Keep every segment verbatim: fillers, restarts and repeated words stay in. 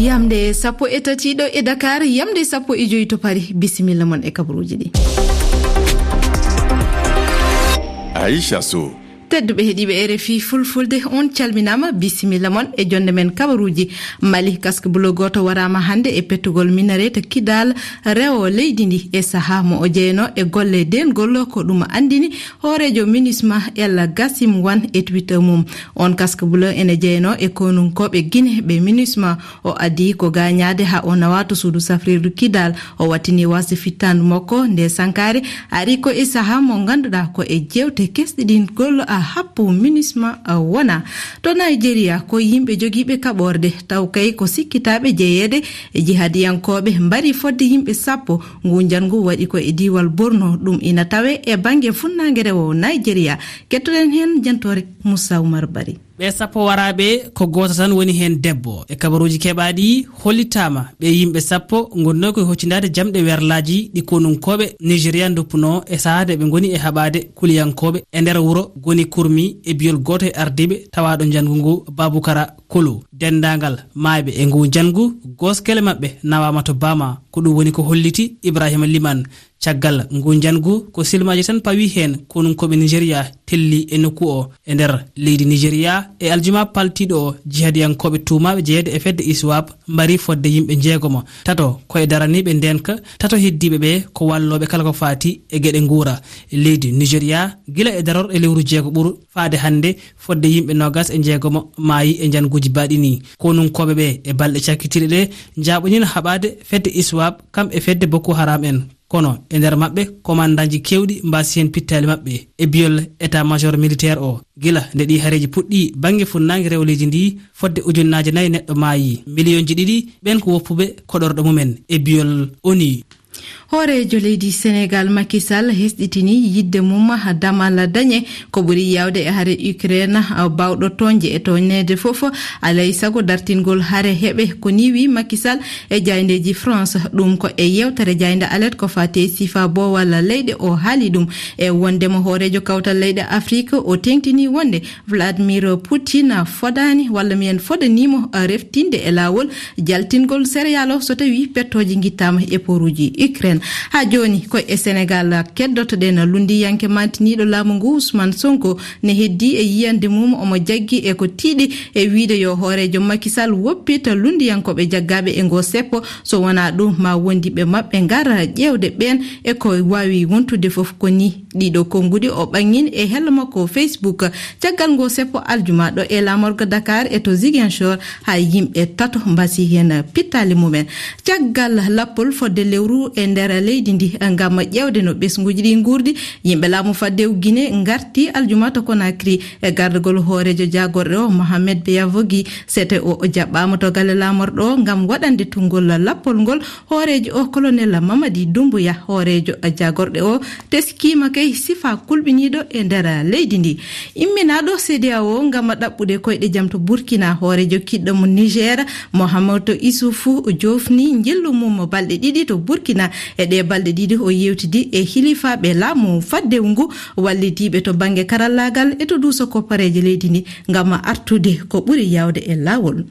Yamde sappo e tati ɗo e Dakar, yamde sappo e joyi to Paris. Bisimilla mon e kabaruuji ɗi. Aisha Sow. Tedduɓe heɗiiɓe R F I Fulfulde, on calminaama, bisimilla mon e jonde men kabaruuji. Mali, casque bleu gooto waraama hannde e pettugol minaret Kidal, rewo leydi ndi, e sahaa mo o jeyanoo e golle deengol, ko ɗum anndini hooreejo MINUSMA El Gassim Wan e Twitter mum. On casque bleu ene jeyanoo e konunkooɓe Guinée ɓe MINUSMA. O adii ko gaañaade haa o nawaa to suudu safrirdu Kidal. O wattini waasde fittaandu makko nde sankaare, ari ko e sahaa mo ngannduɗaa ko e jeewte kesɗiɗingol a happu MINUSMA a wona. To Nigeria, ko yimɓe jogiiɓe kaɓorde, taw kay ko sikkitaaɓe jeyeede e jihadiyankooɓe, mbari fodde yimɓe sappo. Ngu njanngu waɗi ko e diiwal Borno, ɗum ina tawe e bannge funnaange rewo Nigeria. Kettoɗen heen jantoore Moussa Oumar Bari. Ɓe sappo waraaɓe, ko gooto tan woni heen debbo. E kabaruuji keɓaaɗi, hollitaama ɓe yimɓe sappo ngonnoo ko e hoccindaade jamɗe werlaaji ɗi konunkooɓe Nigeria ndoppunoo e sahaa nde ɓe ngoni e haɓaade kuliyankooɓe e nder wuro Goni Kurmi e biyol gooto e ardiiɓe tawaaɗo njanngu ngu, Babukara Kolo. Denndaangal maayɓe e ngu njanngu, gooskele maɓɓe nawaama to Bama. Ko ɗum woni ko holliti Ibrahima Liman. Caggal ngu njanngu, ko silmaaji tan pawi heen konunkooɓe Nigeria telli e nokku o e nder leydi Nigeria. E aljuma paltiiɗo o, jihadiyankooɓe tuumaaɓe jeyeede e fedde ISWAP mbari fodde yimɓe njeegomo, tato ko e daraniiɓe ndeenka, tato heddiiɓe ɓe ko wallooɓe kala ko faati e geɗe nguura leydi Nigeria, gila e darorɗe lewru jeego ɓuru faade hannde, fodde yimɓe noogas e njeegomo maayi e njannguuji baaɗi nii. Konunkooɓe ɓe e balɗe cakkitiiɗe ɗe njaaɓoniino haɓaade fedde ISWAP, kam e fedde Boko Haram en. Kono e nder maɓɓe, komandanji keewɗi mbaasi heen pittaali maɓɓe. E biyol état-major militaire o, gila nde ɗii hareeji puɗɗii bannge funnaange rewo leydi ndi, fodde ujunnaaje nayi neɗɗo maayi, miliyonji ɗiɗi ɓeen ko woppuɓe koɗorɗe mumen. E biyol ONU. Hooreejo leydi Senegal, Macky Sall, hesɗitini yiɗde mum damal dañe ko ɓuri yaawde e hare Ukraine, baawɗo tooñde e tooñneede fof, alay sago dartingol hare heɓe. Ko nii wii Macky Sall e jaayndeeji France. Ɗum ko e yeewtere jaaynde alet ko faati e sifa boowal leyɗe, o haali ɗum. E wonndema hooreejo kawtal leyɗe Afrique, o teeŋtini wonde Vladimir Putin fodaani, walla mbiyen fodaniimo, reftinde e laawol jaltingol céréale o so tawii pettooje ngittaama e pooruuji Ukraine. Haa jooni, ko e Senegal keddotoɗen. Lunndiyanke maantiniiɗo laamu ngu, Ousmane Sonko, ne heddii e yiyannde mum, omo jaggi e ko tiiɗi e wiyde yo hooreejo Macky Sall woppita lunndiyankooɓe jaggaaɓe e ngoo seppo. So wonaa ɗum, ma wondiiɓe maɓɓe ngara ƴeewde ɓeen e ko waawi wontude fof. Ko nii ɗiɗo konnguɗi o ɓanngini e hello makko Facebook caggal ngoo seppo aljuma ɗo e laamorgo Dakar e to Ziguinchor, haa yimɓe tato mbasi heen pittaali mumen. Caggal lappol fodde lewru e nder leydi ndi ngam ƴeewde no ɓesnguuji ɗi nguurdi, yimɓe laamu faddewu Guinée ngarti aljuma to Conakry e gardagol hooreejo jaagorɗe o, Mohamed Beyavogi. Sete o jaɓɓaama to galle laamorɗo o ngam waɗande tunngol lappol ngol. Hooreejo o, Colonel Mamadi Doumbouya, hooreejo jaagorɗe o, teskiima kay sifa kulɓiniiɗo e nder leydi ndi. Imminaaɗo CEDEAO ngam ɗaɓɓude koyɗe jam to Burkina, hooreejo kiɗɗo mo Niger, Mohamed Issoufou, joofni njillu mum balɗe ɗiɗi to Burkina. E ɗee balɗe ɗiɗi, o yeewtidi e hilifaaɓe laamu faddewu ngu, wallitiiɓe to bannge karallaagal e to duuso koppareeje leydi ndi ngam artude ko ɓuri yaawde e laawol.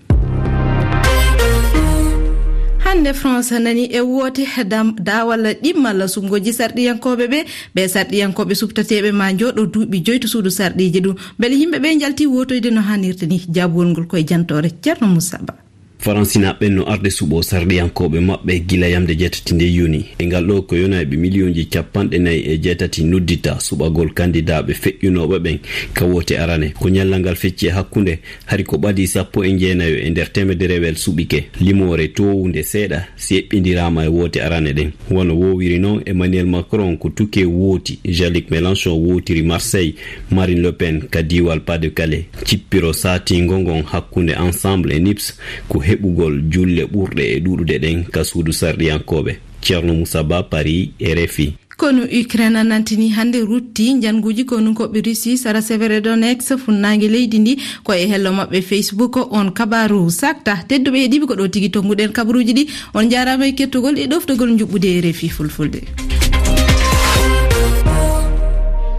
Hannde France nani e woote dam-, daawal ɗimmal suɓngooji sarɗiyankooɓe ɓe. Ɓe sarɗiyankooɓe suɓtateeɓe ma njooɗo duuɓi joyi to suudu sarɗiiji ɗum. Mbele yimɓe ɓe njalti wootoyde no hanirta ni? Jaabugol ngol ko e jantoore Ceerno Moussa Ba. Faransinaaɓe ɓen no arde suɓo sarɗiyankooɓe maɓɓe gila yamde jeetati nde yoni. E ngal ɗo ko yonayɓe miliyonji capanɗe nayi e jeetati noddita suɓagol kandidaaɓe feƴƴunooɓe ɓen ka woote arane. Ko ñallal ngal fecci e hakkunde, hari ko ɓadii sappo e jeenayo e nder teemedere wel suɓike. Limoore toowunde seeɗa si eɓɓindiraama e woote arane ɗen. Wano woowiri non, Emmanuel Macron ko Touquet wooti, Jean-Luc Mélenchon wootiri Marseille, Marine Le Pen ka diiwal Pas-de-Calais. Cippiro saatiingo ngon hakkunde Ensemble e nips ko heɓugol julle ɓurɗe e ɗuuɗude ɗen ka suudu sarɗiyankooɓe. Ceerno Moussa Ba, Paris, R F I. Konu Ukraine nantini hannde rutti njannguuji konunkooɓe Russie sara Severodonetsk, funnaange leydi ndi. Ko e hello maɓɓe Facebook on kabaaru sakta. Tedduɓe heɗiiɓe, ko ɗo tigi tonnguɗen kabaruuji ɗi. On njaaraama e kettogol e ɗoftogol njuɓɓudi R F I Fulfulde.